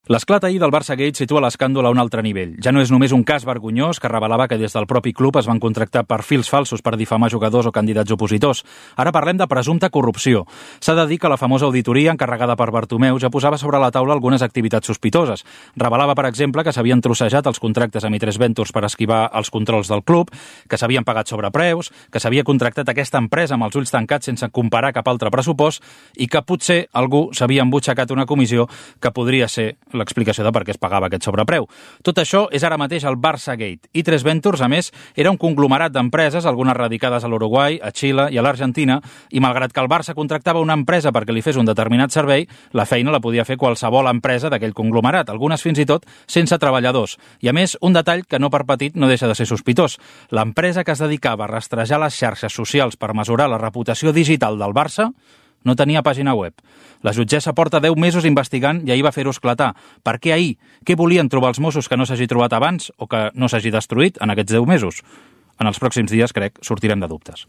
L'esclat ahir del Barça Gate situa l'escàndol a un altre nivell. Ja no és només un cas vergonyós que revelava que des del propi club es van contractar perfils falsos per difamar jugadors o candidats opositors. Ara parlem de presumpta corrupció. S'ha de dir que la famosa auditoria encarregada per Bartomeu ja posava sobre la taula algunes activitats sospitoses. Revelava, per exemple, que s'havien trossejat els contractes amb I3 Ventures per esquivar els controls del club, que s'havien pagat sobrepreus, que s'havia contractat aquesta empresa amb els ulls tancats sense comparar cap altre pressupost i que potser algú s'havia embutxacat una comissió que podria ser l'explicació de per què es pagava aquest sobrepreu. Tot això és ara mateix el Barça Gate. I3 Ventures, a més, era un conglomerat d'empreses, algunes radicades a l'Uruguai, a Xile i a l'Argentina, i malgrat que el Barça contractava una empresa perquè li fes un determinat servei, la feina la podia fer qualsevol empresa d'aquell conglomerat, algunes fins i tot sense treballadors. I a més, un detall que no per petit no deixa de ser sospitós. L'empresa que es dedicava a rastrejar les xarxes socials per mesurar la reputació digital del Barça no tenia pàgina web. La jutgessa porta 10 mesos investigant i ahir va fer-ho esclatar. Per què ahir? Què volien trobar els Mossos que no s'hagi trobat abans o que no s'hagi destruït en aquests 10 mesos? En els pròxims dies, crec, sortirem de dubtes.